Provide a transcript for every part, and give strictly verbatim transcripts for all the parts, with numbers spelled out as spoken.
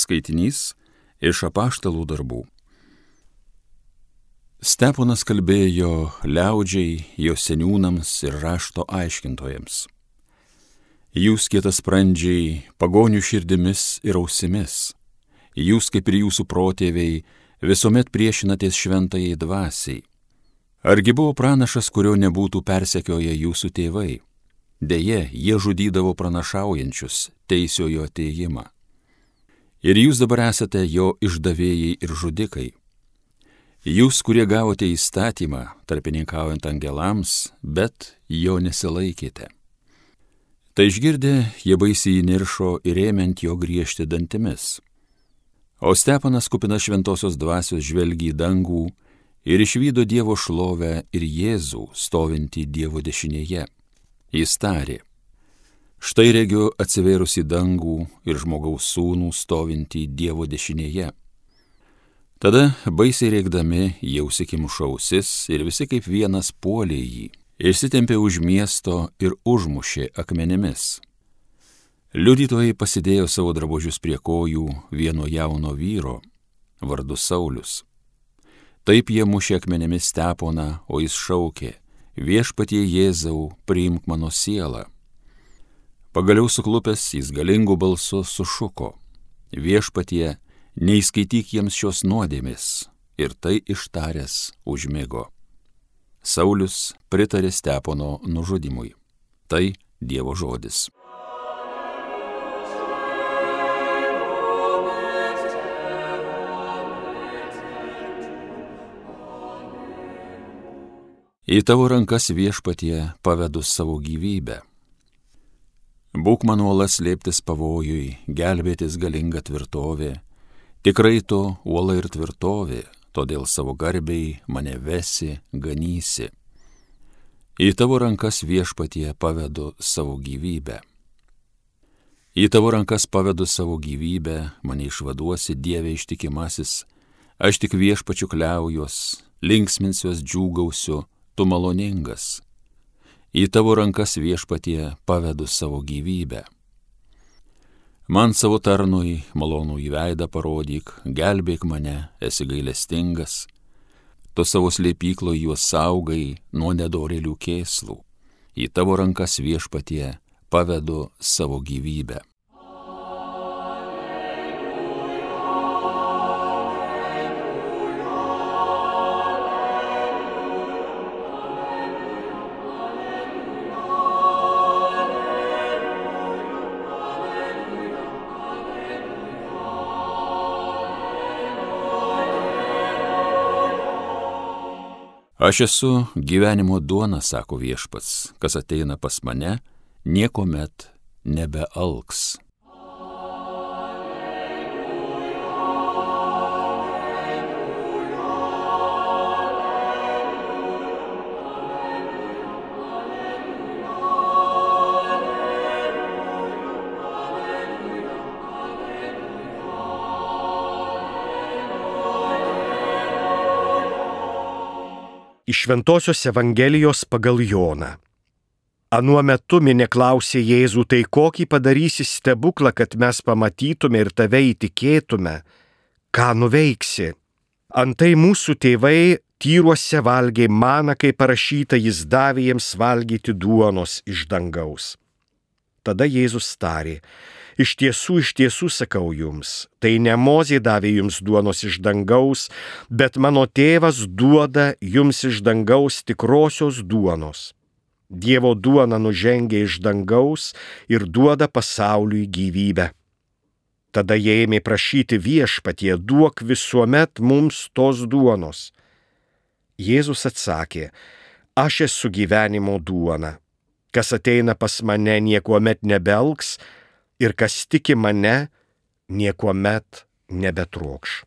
Skaitinys iš Apaštalų darbų. Steponas kalbėjo liaudžiai, jo seniūnams ir rašto aiškintojams. Jūs kietasprandžiai, pagonių širdimis ir ausimis, jūs kaip ir jūsų protėviai visuomet priešinatės šventajai dvasiai. Argi buvo pranašas, kurio nebūtų persekioję jūsų tėvai? Deja, jie žudydavo pranašaujančius teisiojo atėjimą. Ir jūs dabar esate jo išdavėjai ir žudikai. Jūs, kurie gavote įstatymą, tarpininkaujant angelams, bet jo nesilaikėte. Tai išgirdę, jie baisiai įniršo ir ėmė ant jo griežti dantimis. O Steponas, kupinas šventosios dvasios, žvelgė į dangų ir išvydo Dievo šlovę ir Jėzų stovintį Dievo dešinėje. Jis tarė: štai regiu atsivėrusi dangų ir žmogaus sūnų stovintį Dievo dešinėje. Tada baisiai rėkdami jie užsikimšo ausis ir visi kaip vienas puolė jį, išsitempė už miesto ir užmušė akmenimis. Liudytojai pasidėjo savo drabužius prie kojų vieno jauno vyro, vardu Saulius. Taip jie mušė akmenimis Steponą, o jis šaukė: viešpatie Jėzau, priimk mano sielą. Pagaliau suklupęs jis galingu balsu sušuko: viešpatie, neįskaityk jiems šios nuodėmės, ir tai ištaręs užmigo. Saulius pritarė Stepono nužudymui. Tai Dievo žodis. Į tavo rankas, viešpatie, pavedu savo gyvybę. Būk man uola slėptis pavojui, gelbėtis galinga tvirtovė. Tikrai tu uola ir tvirtovė, todėl savo garbiai mane vesi, ganysi. Į tavo rankas, viešpatie, pavedu savo gyvybę. Į tavo rankas pavedu savo gyvybę, mane išvaduosi, Dieve ištikimasis. Aš tik viešpačiu kliaujuos, linksminsiuos, džiūgausiu, tu maloningas. Į tavo rankas, viešpatie, pavedu savo gyvybę. Man savo tarnui malonų į veidą parodyk, gelbėk mane, esi gailestingas. Tu savo slėpyklo juos saugai nuo nedorėlių kėslų. Į tavo rankas, viešpatie, pavedu savo gyvybę. Aš esu gyvenimo duona, sako viešpats, kas ateina pas mane, niekuomet nebealks. Iš Šventosios Evangelijos pagal Joną. Anuo metu minia klausė Jėzų: tai kokį padarysi stebuklą, kad mes pamatytume ir tave įtikėtume? Ką nuveiksi? Antai mūsų tėvai tyruose valgė maną, kaip parašyta, jis davė jiems valgyti duonos iš dangaus. Tada Jėzus tarė: iš tiesų, iš tiesų sakau jums, tai ne Mozė davė jums duonos iš dangaus, bet mano tėvas duoda jums iš dangaus tikrosios duonos. Dievo duona nužengia iš dangaus ir duoda pasauliui gyvybę. Tada jie ėmė prašyti: viešpatie, duok visuomet mums tos duonos. Jėzus atsakė: aš esu gyvenimo duona. Kas ateina pas mane, niekuomet nebealks, ir kas tiki mane, niekuomet nebetrokš.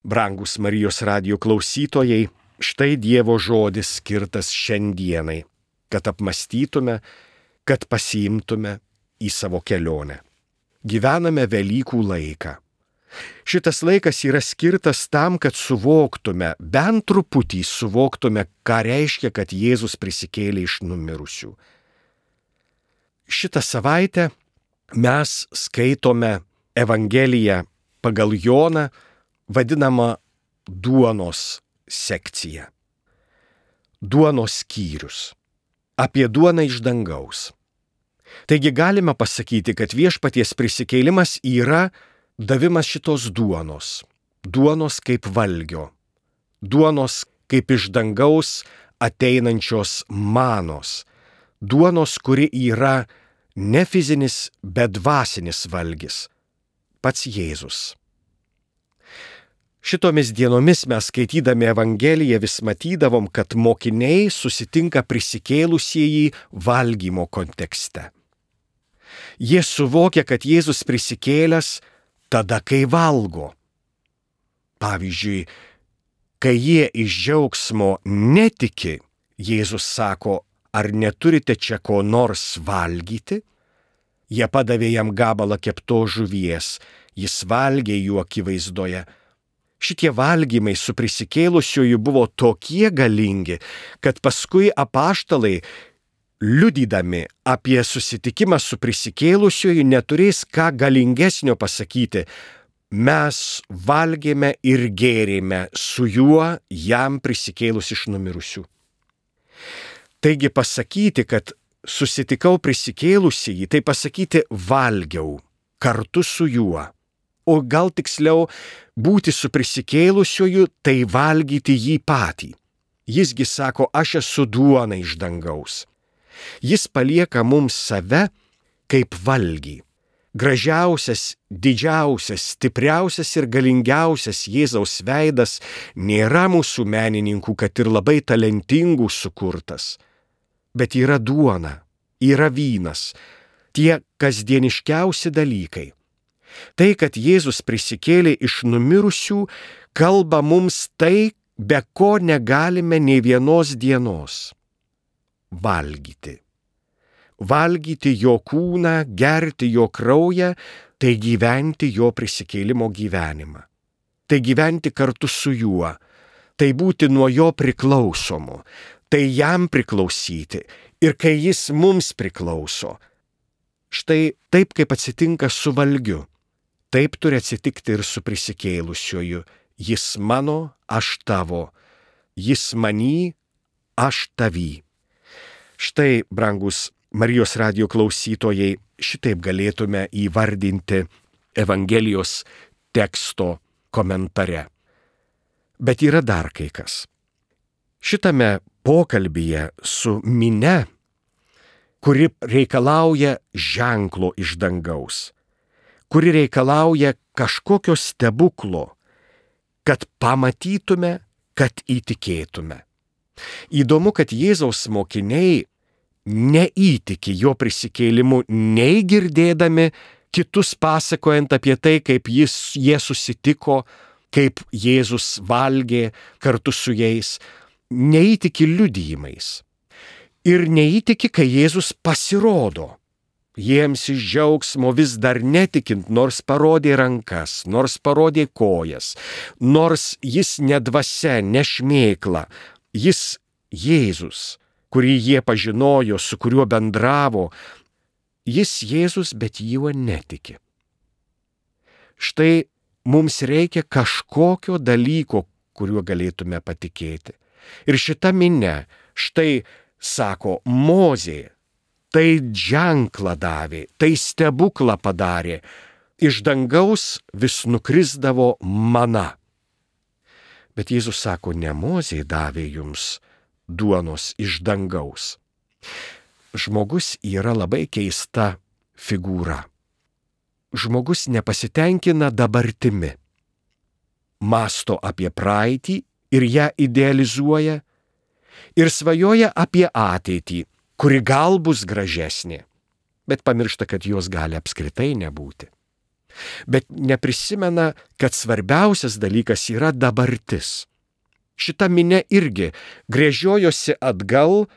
Brangus Marijos radijo klausytojai, štai Dievo žodis skirtas šiandienai, kad apmąstytume, kad pasiimtume į savo kelionę. Gyvename Velykų laiką. Šitas laikas yra skirtas tam, kad suvoktume, bent truputį suvoktume, ką reiškia, kad Jėzus prisikėlė iš numirusių. Šitą savaitę mes skaitome Evangeliją pagal Joną, vadinamą duonos sekciją. Duonos skyrius. Apie duoną iš dangaus. Taigi galime pasakyti, kad viešpaties prisikėlimas yra davimas šitos duonos. Duonos kaip valgio. Duonos kaip iš dangaus ateinančios manos. Duonos, kuri yra ne fizinis, bet dvasinis valgis. Pats Jėzus. Šitomis dienomis mes skaitydami Evangeliją vis matydavom, kad mokiniai susitinka prisikėlusieji valgymo kontekste. Jie suvokia, kad Jėzus prisikėlęs tada, kai valgo. Pavyzdžiui, kai jie iš džiaugsmo netiki, Jėzus sako, ar neturite čia ko nors valgyti? Jie padavė jam gabalą keptos žuvies, jis valgė jų akivaizdoje. Šitie valgymai su prisikėlusiuoju buvo tokie galingi, kad paskui apaštalai, liudydami apie susitikimą su prisikėlusiuoju, neturės ką galingesnio pasakyti. Mes valgėme ir gėrėme su juo jam prisikėlus iš numirusių. Taigi pasakyti, kad susitikau prisikėlusįjį, tai pasakyti valgiau kartu su juo. O gal tiksliau, būti su prisikėlusiuoju, tai valgyti jį patį. Jisgi sako, aš esu duona iš dangaus. Jis palieka mums save kaip valgį. Gražiausias, didžiausias, stipriausias ir galingiausias Jėzaus veidas nėra mūsų menininkų, kad ir labai talentingų sukurtas. Bet yra duona, yra vynas, tie kasdieniškiausi dalykai. Tai, kad Jėzus prisikėlė iš numirusių, kalba mums tai, be ko negalime nei vienos dienos. Valgyti. Valgyti jo kūną, gerti jo kraują, tai gyventi jo prisikėlimo gyvenimą. Tai gyventi kartu su juo, tai būti nuo jo priklausomu, tai jam priklausyti ir kai jis mums priklauso. Štai taip, kaip atsitinka su valgiu. Taip turi atsitikti ir su prisikėlusiuoju. Jis mano, aš tavo. Jis many, aš tavy. Štai, brangus Marijos radijo klausytojai, šitaip galėtume įvardinti Evangelijos teksto komentare. Bet yra dar kai kas. Šitame pokalbyje su minia, kuri reikalauja ženklo iš dangaus, kuri reikalauja kažkokio stebuklo, kad pamatytume, kad įtikėtume. Įdomu, kad Jėzaus mokiniai neįtiki jo prisikėlimu, nei girdėdami kitus pasakojant apie tai, kaip jis, jie susitiko, kaip Jėzus valgė kartu su jais, neįtiki liudijimais. Ir neįtiki, kai Jėzus pasirodo. Jiems iš džiaugsmo vis dar netikint, nors parodė rankas, nors parodė kojas, nors jis ne dvasia, ne šmėkla, jis Jėzus, kurį jie pažinojo, su kuriuo bendravo, jis Jėzus, bet juo netiki. Štai mums reikia kažkokio dalyko, kuriuo galėtume patikėti. Ir šita minia, štai sako, Mozė, tai ženklą davė, tai stebuklą padarė. Iš dangaus vis nukrisdavo mana. Bet Jėzus sako, ne Mozė davė jums duonos iš dangaus. Žmogus yra labai keista figūra. Žmogus nepasitenkina dabartimi. Mąsto apie praeitį ir ją idealizuoja ir svajoja apie ateitį, kuri gal bus gražesnė, bet pamiršta, kad jos gali apskritai nebūti. Bet neprisimena, kad svarbiausias dalykas yra dabartis. Šita minia irgi gręžiojosi atgal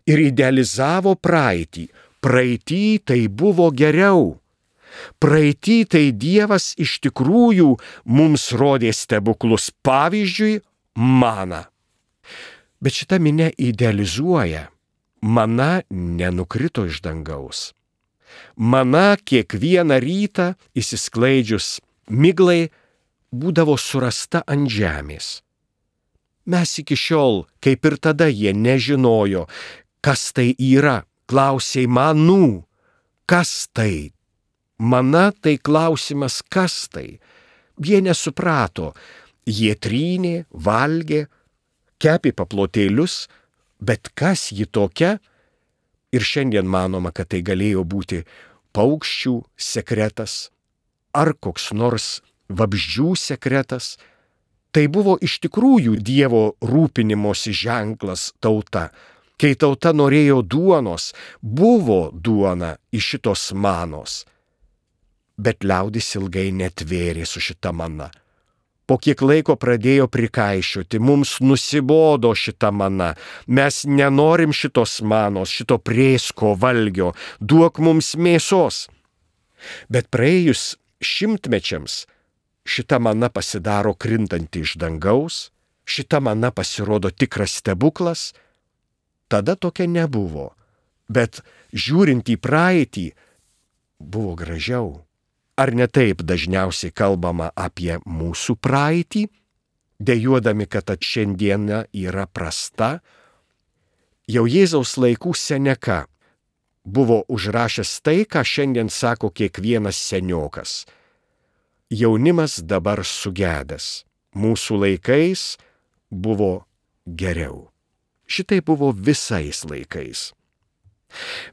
ir idealizavo praeitį. Praeitį tai buvo geriau. Praeitį tai Dievas iš tikrųjų mums rodė stebuklus, pavyzdžiui, maną. Bet šita minia idealizuoja. Mana nenukrito iš dangaus. Mana kiekvieną rytą įsisklaidžius miglai būdavo surasta ant žemės. Mes iki šiol, kaip ir tada, jie nežinojo, kas tai yra. Klausė manų, kas tai? Mana tai klausimas, kas tai? Jie nesuprato. Jie trynė, valgė, kepė paplotėlius, bet kas ji tokia? Ir šiandien manoma, kad tai galėjo būti paukščių sekretas ar koks nors vabzdžių sekretas. Tai buvo iš tikrųjų Dievo rūpinimosi ženklas tauta. Kai tauta norėjo duonos, buvo duona iš šitos manos. Bet liaudis ilgai netvėrė su šita mana. Po kiek laiko pradėjo prikaišioti, mums nusibodo šita mana, mes nenorim šitos manos, šito prėsko valgio, duok mums mėsos. Bet praėjus šimtmečiams šita mana pasidaro krintanti iš dangaus, šita mana pasirodo tikras stebuklas. Tada tokia nebuvo, bet žiūrint į praeitį, buvo gražiau. Ar ne taip dažniausiai kalbama apie mūsų praeitį, dejuodami, kad šiandiena yra prasta? Jau Jėzaus laikų Seneka buvo užrašęs tai, ką šiandien sako kiekvienas seniokas. Jaunimas dabar sugedęs, mūsų laikais buvo geriau. Šitai buvo visais laikais.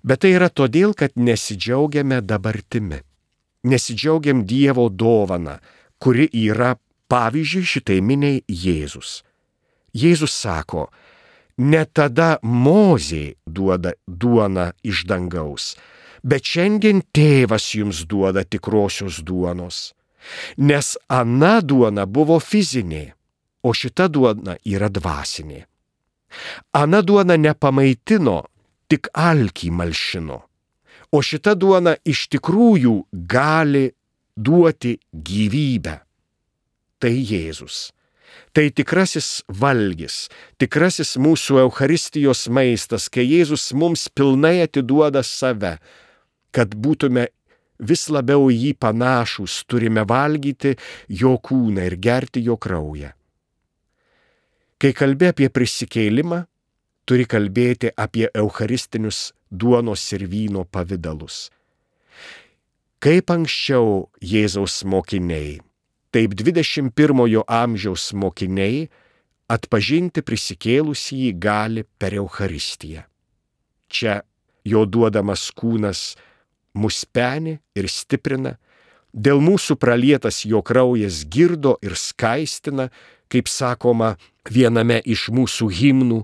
Bet tai yra todėl, kad nesidžiaugiame dabartimi. Nesidžiaugiam Dievo dovana, kuri yra pavyzdžiui šitai miniai Jėzus. Jėzus sako, ne tada Mozė duoda duoną iš dangaus, bet šiandien Tėvas jums duoda tikrosios duonos. Nes ana duona buvo fizinė, o šita duona yra dvasinė. Ana duona nepamaitino, tik alkį malšino. O šita duona iš tikrųjų gali duoti gyvybę. Tai Jėzus. Tai tikrasis valgis, tikrasis mūsų Eucharistijos maistas, kai Jėzus mums pilnai atiduoda save, kad būtume vis labiau jį panašus, turime valgyti jo kūną ir gerti jo kraują. Kai kalbė apie prisikėlimą, turi kalbėti apie eucharistinius duonos ir vyno pavidalus. Kaip anksčiau Jėzaus mokiniai, taip dvidešimt pirmojo amžiaus mokiniai atpažinti prisikėlusįjį gali per Eucharistiją. Čia jo duodamas kūnas mus peni ir stiprina, dėl mūsų pralietas jo kraujas girdo ir skaistina, kaip sakoma viename iš mūsų himnų.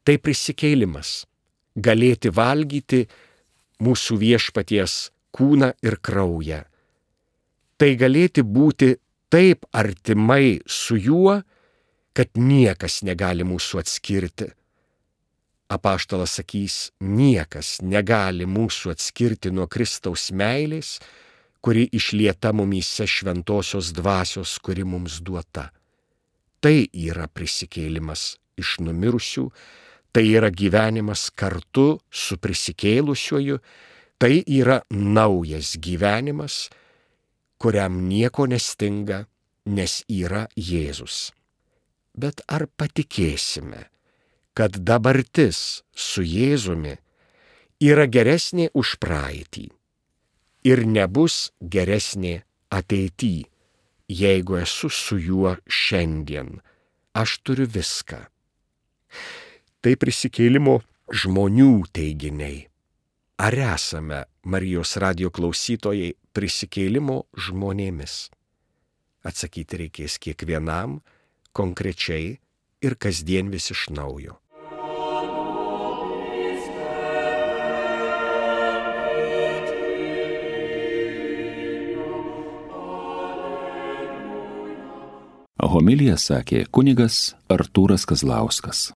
Tai prisikėlimas, galėti valgyti mūsų viešpaties kūną ir kraują. Tai galėti būti taip artimai su juo, kad niekas negali mūsų atskirti. Apaštalas sakys, niekas negali mūsų atskirti nuo Kristaus meilės, kuri išlieta mumyse šventosios dvasios, kuri mums duota. Tai yra prisikėlimas iš numirusių, tai yra gyvenimas kartu su prisikėlusiuoju, tai yra naujas gyvenimas, kuriam nieko nestinga, nes yra Jėzus. Bet ar patikėsime, kad dabartis su Jėzumi yra geresnė už praeitį ir nebus geresnė ateity, jeigu esu su juo šiandien? Aš turiu viską. Tai prisikėlimo žmonių teiginiai. Ar esame, Marijos radijo klausytojai, prisikėlimo žmonėmis? Atsakyti reikės kiekvienam, konkrečiai ir kasdien vis iš naujo. Homiliją sakė kunigas Artūras Kazlauskas.